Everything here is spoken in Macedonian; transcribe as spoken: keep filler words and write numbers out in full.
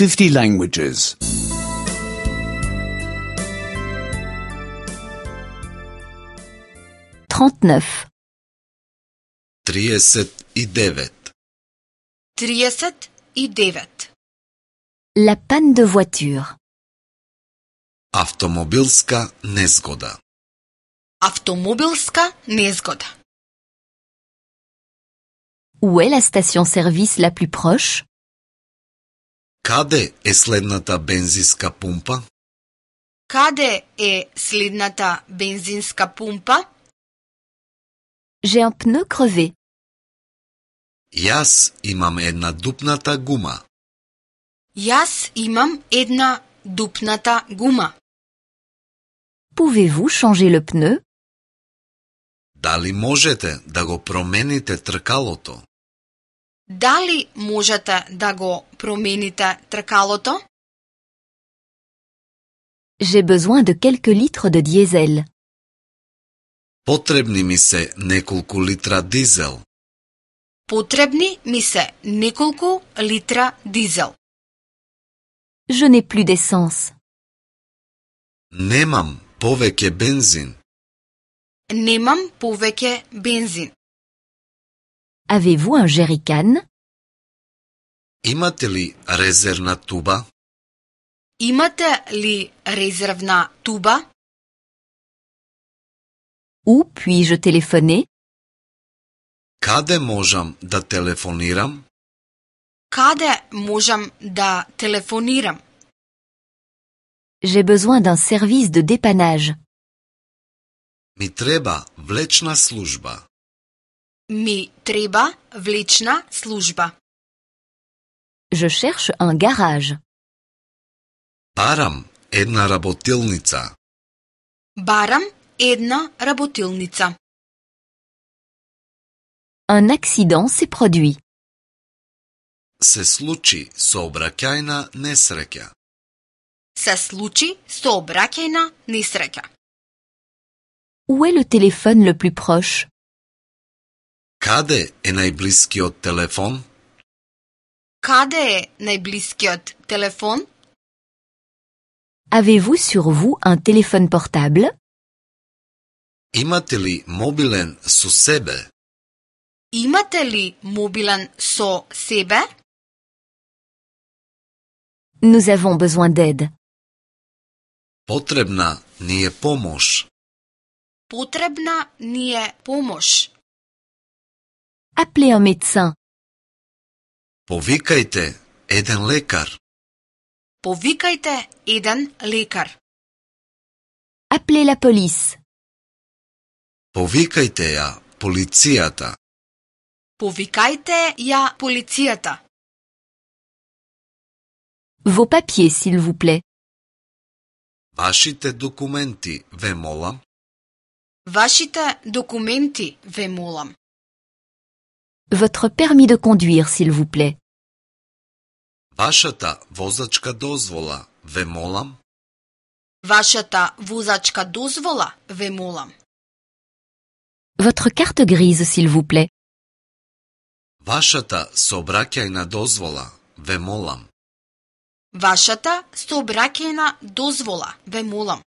fifty languages. trente-neuf. триесет и девет. trideset i devet. La panne de voiture. Автомобилска незгода. Автомобилска незгода. Où est la station-service la plus proche? Каде е следната бензинска пумпа? Каде е следната бензинска пумпа? J'ai un pneu crevé. Јас имам една дупната гума. Јас имам една дупната гума. Pouvez-vous changer le pneu? Дали можете да го промените тркалото? Дали можете да го промените тркалото? J'ai besoin de quelques litres de diesel. Потребни ми се неколку литра дизел. Потребни ми се неколку литра дизел. Je n'ai plus d'essence. Немам повеќе бензин. Немам повеќе бензин. Avez-vous un jerrycan? Имате ли резервна туба? Имате ли резервна туба? Où puis-je téléphoner? Каде можам да телефонирам? Каде можам да телефонирам? J'ai besoin d'un service de dépannage. Ми треба влечна служба. Ми треба влечна служба. Je cherche un garage. Барам една работилница. Барам една работилница. Un accident s'est produit. Се случи сообраќајна несреќа. Се случи сообраќајна несреќа. Où est le téléphone le plus proche? Каде е најблискиот телефон? Каде е најблискиот телефон? Avez-vous sur vous un téléphone portable? Имате ли мобилен со себе? Имате ли мобилен со себе? Nous avons besoin d'aide. Потребна ни е помош. Потребна ни е помош. Appelez un médecin. Повикајте еден лекар. Повикајте еден лекар. Appelez la police. Повикајте ја полицијата. Повикајте ја полицијата. Vos papiers, s'il vous plaît. Вашите документи, ве молам. Вашите документи, ве молам. Votre permis de conduire, s'il vous plaît. Вашата возачка дозвола, ве молам. Вашата возачка дозвола, ве молам. Votre carte grise, s'il vous plaît. Вашата сообраќајна дозвола, ве молам. Вашата сообраќајна дозвола, ве молам.